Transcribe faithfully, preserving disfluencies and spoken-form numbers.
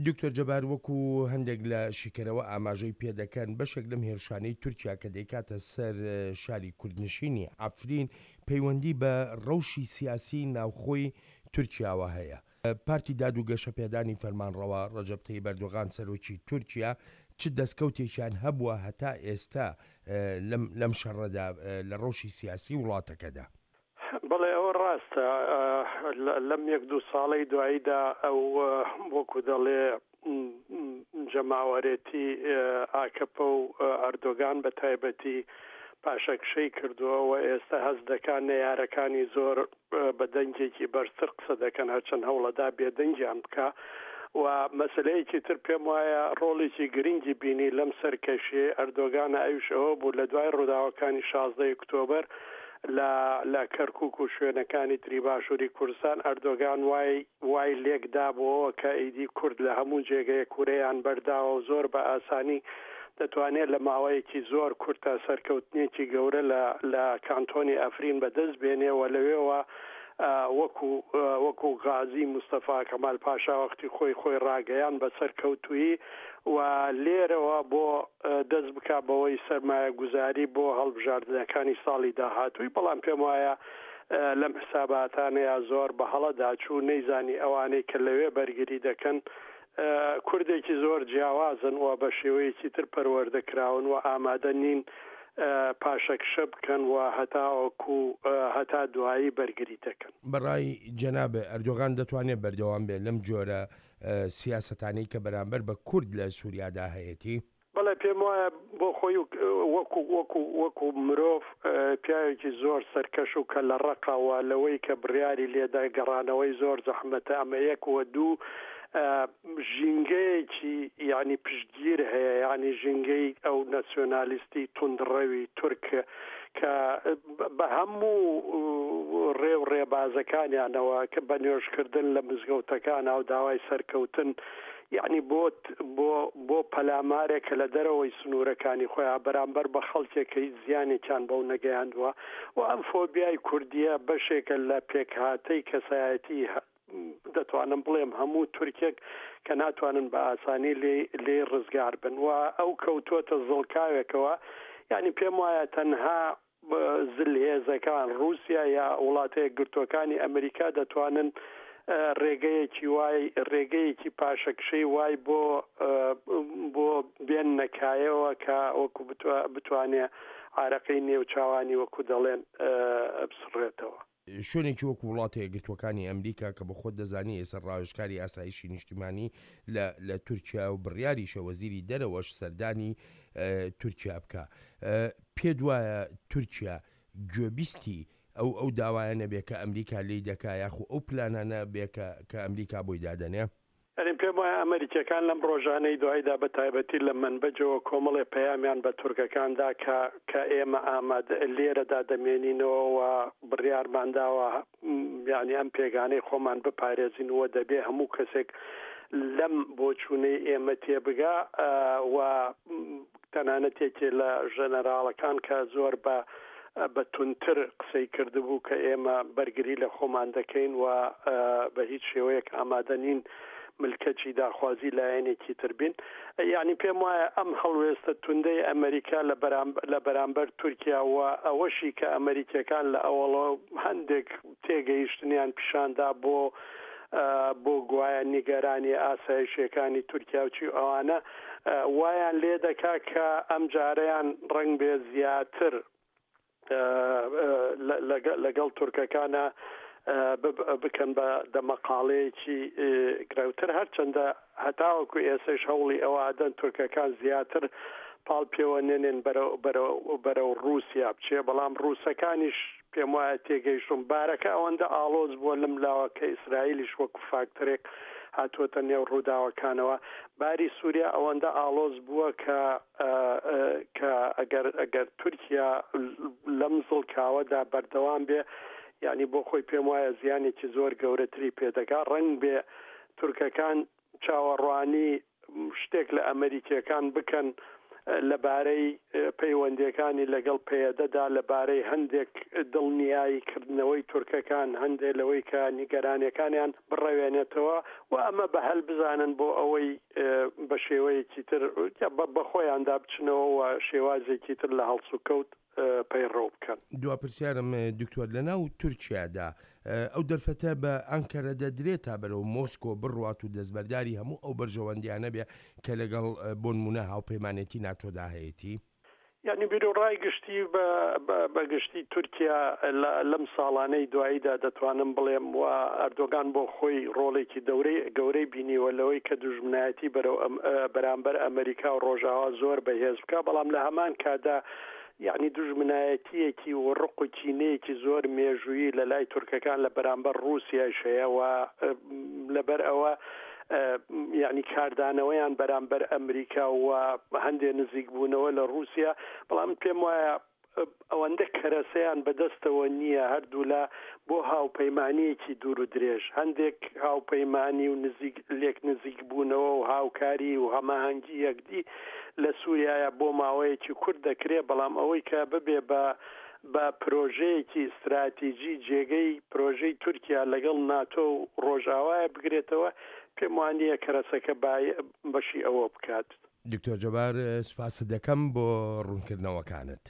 دکتۆر جەبار، وەکو هەندێک لە شیکەرەوە ئاماژەی پێدەکەن، بەشێک لەم هێرشانەی تورکیا کە دەیکاتە سەر شاری کوردنشینی عەفرین پەیوەندی بە ڕەوشی سیاسی ناوخۆی تورکیاوە هەیە. پارتی داد و گەشەپێدانی فەرمانڕەوا ڕەجەب تەیب ئەردۆغان سەرۆکی تورکیا چ دەستکەوتێکیان هەبووە هەتا ئێستا لەم لەم شەڕەدا لە ڕەوشی سیاسی وڵاتەکەدا؟ بەڵێ، ئەوە ڕاستە. لەم یەک دوو ساڵەی دواییدا ئەو وەکو دەڵێ جەماوەرێتی ئاکەپە و ئەردۆگان بە تایبەتی پاشەکشەی کردووە و ئێستا هەست دەکات نەیارەکانی زۆر بە دەنگێکی بەرزتر قسە دەکەن، هەرچەند هەوڵەدا بێدەنگیان بکە. و مەسلەیەکی تر پێم وایە ڕۆڵێکی گرنگی بینی لەم سەرکەشیەی ئەردۆگانە، ئەویش ئەوە بوو لە دوای ڕووداوەکانی شازدە ئۆکتۆبەر لە لە کەرکوک و شوێنەکانی تری باشووری کوردستان، ئەردۆگان وای وای لێک دابووەوە کە ئیدی کورد لە هەموو جێگەیەک ورەیان بەرداوە و زۆر بە ئاسانی دەتوانێت لە ماوەیەکی زۆر کورتە سەرکەوتنێکی گەورە لە لە کانتۆنی ئەفرین بەدەست بێنێ و لەوێوە وەکو وەکو غازی مستەفا کەمال پاشا وەختی خۆی خۆی ڕاگەیان بە سەرکەوتوویی و لێرەوە بۆ دەست بک بەوەی سەرمایە گوزاری بۆ هەڵبژاردنەکانی ساڵی داهاتووی. بەڵام پێم وایە لەم حساباتانەیە زۆر بە هەڵەدا چوو، نەیزانی ئەوانەی کە لەوێ بەرگری دەکەن کوردێکی زۆر جیاوازن و بە شێوەیەکی تر پەروەردە کراون و ئامادە نین پاشەکشە بکەن و هەتاوەکو هەتا دوایی بەرگری دەکەن. بەڕای جەناب، ئەردۆغان دەتوانێت بەردەوام بێت لەم جۆرە سیاسەتانەی کە بەرامبەر بە کورد لە سووریادا هەیەتی؟ بەڵێ، پێم وایە بۆ خۆی وەکو وەکو وەکو مرۆڤ پیاوێکی زۆر سەرکەش و کە لە ڕقەوە لەوەی کە بڕیاری لێدا گەڕانەوەی زۆر زەحمەتە. ئەمە یەک، وە دوو ژینگەیەکی یعنی پشتگیر هەیە، یعنی ژینگەی ئەو ناسیۆنالیستی توندڕەوی تورک کە بە هەموو ڕێ و ڕێبازەکانیانەوە کە بە نوێژکردن لە مزگەوتەکان و داوای سەرکەوتن، یعنی بۆ بۆ بۆ پەلامارێک کە لە دەرەوەی سنوورەکانی خۆیان بەرامبەر بە خەڵکێک کە هیچ زیانێکیان بەو نەگەیاندووە. و ئەم فۆبیای کوردیە بەشێکە لە پێکهاتەی کەسایەتی، دەتوانم بڵێم هەموو تورکێک، کە ناتوانن بە ئاسانی لێ ڕزگار بن و ئەو کەوتووەتە زڵکاوێکەوە. یعنی پێم وایە تەنها زلهێزەکان، رووسیا یا وڵاتە یەکگرتووەکانی ئەمریکا، دەتوانن ڕێگەیەکی وای، ڕێگەیەکی پاشەکشەی وای بۆ بۆ بێن نەکایەوە کە وەکو بتوانێ عارەقەی نێوچاوانی وەکو دەڵێن بسڕێتەوە. شوێنێکی وەکو وڵاتە یەکگرتووەکانی ئەمریکا کە بە خۆت دەزانی ئێستا ڕاوێژکاری ئاسایشی نیشتیمانی لە لە تورکیا و بڕیاریشە وەزیری دەرەوەش سەردانی تورکیا بکە، پێ وایە تورکیا گوێبیستی ئەو ئەو داوایە نەبێ کە ئەمریکا لی دەکا، یاخو ئەو پلانانە بێ کە ئەمریکا بۆی دادەنێ؟ یعنی پێم وایە ئەمریکیەکان لەم ڕۆژانەی دواییدا، بە تایبەتی لە منبەجەوە، کۆمەڵێ پەیامیان بە تورکەکاندا کە کە ئێمە ئامادە لێرەدا دەمێنینەوە و بڕیارمانداوە یعنی ئەم پێگانەی خۆمان بپارێزین و دەبێ هەموو کەسێک لەم بۆچوونەی ئێمە تێبگا. و تەنانەت یەکێ لە ژەنەراڵەکان کە زۆر بە بە تونتر قسەی کردبوو کە ئێمە بەرگری لە خۆمان دەکەین و بە هیچ شێوەیەک ئامادە نین ملکەچی داخوازی لایەنێکی تر بین. یعنی پێم وایە ئەم هەڵوێستە توندەی ئەمریکا لە بەرامبەر تورکیا و ئەوەشی کە ئەمریکیەکان لە ئەوەڵەوە هەندێک تێگەیشتنیان پیشاندا بۆ بۆ گوایە نیگەرانی ئاسایشەکانی تورکیا و چی ئەوانە، وایان لێ دەکا کە ئەم جارەیان ڕەنگ بێ زیاتر لەگەڵ تورکەکانە بکەن بە دەمەقاڵەیەکی گرەوتر، هەرچەندە هەتاوەکو ئێسش هەوڵی ئەوە ئەدەن تورکەکان زیاتر پاڵ پێوە نێنێن بەرەو رووسیا بچێ. بەڵام ڕووسەکانیش پێم وایە تێگەیشتون بارەکە ئەوەندە ئاڵۆز بووە لەم لاوە کە ئیسرائیلیش وەکو فاکتەرێک هاتووەتە نێو ڕووداوەکانەوە، باری سووریا ئەوەندە ئاڵۆز بووە کە کە ئەگەر ئەگەر تورکیا لەم زڵکاوەدا بەردەوام بێ، یعنی بۆ خۆی پێم وایە زیانێکی زۆر گەورەتری پێدەگا. ڕەنگ بێ تورکەکان چاوەڕوانی شتێک لە ئەمریکیەکان بکەن لەبارەی پەیوەندیەکانی لەگەڵ پەیەدەدا، لەبارەی هەندێک دڵنیایی کردنەوەی تورکەکان، هەندێک لەوەی کە نیگەرانیەکانیان بڕەوێنێتەوە و ئەمە بە هەل بزانن بۆ ئەوەی بە شێوەیەکی تر بە خۆیاندا بچنەوە و شێوازێکی تر لە هەڵسوکەوت پەیڕەو بکەن. دوا پرسیارم دکتۆر، لەناو تورکیادا ئەو دەرفەتە بە ئەنکەرە دەدرێت تا بەرەو مۆسکۆ بڕوات و دەستبەرداری هەموو ئەو بەرژەوەندیانە بێ کە لەگەڵ بۆنمونە هاوپەیمانێتی ناتۆدا هەیەتی؟ یعنی بیرۆڕای گشتی بە گشتی تورکیا لەم ساڵانەی دواییدا دەتوانم بڵێم و ئەردۆگان بۆ خۆی ڕۆڵێکی دەورەی گەورەی بینیوە لەوەی کە دوژمنایەتی بەرەو بەرامبەر ئەمریکا و ڕۆژاوا زۆر بەهێز بکە، بەڵام لە هەمان کادا یعنی دوژمنایەتیەکی و ڕق و کینەیەکی زۆر مێژوویی لە لای تورکەکان لە بەرامبەر ڕووسیایش هەیە و لەبەر ئەوە یعنی کاردانەوەیان بەرامبەر ئەمریکا و هەندێک نزیک بوونەوە لە ڕووسیا، بەڵام پێم وایە ئەوەندە کەرەسەیان بەدەستەوە نییە هەردوولا بۆ هاوپەیمانیەکی دوور و درێژ، هەندێک هاوپەیمانی و نزیک لێک نزیک بوونەوە و هاوکاری و هەماهەنگی یەکدی لە سووریایە بۆ ماوەیەکی کورت دەکرێت، بەڵام ئەوەی کە ببێ بە بە پرۆژەیەکی استراتیژی جێگەی پرۆژەی تورکیا لەگەڵ ناتۆ و ڕۆژاوایە بگرێتەوە، پێم وانییە کەرەسەکە بەشی ئەوە بکات. دکتۆر جەبار، سوپاست دەکەم بۆ ڕوونکردنەوەکانت.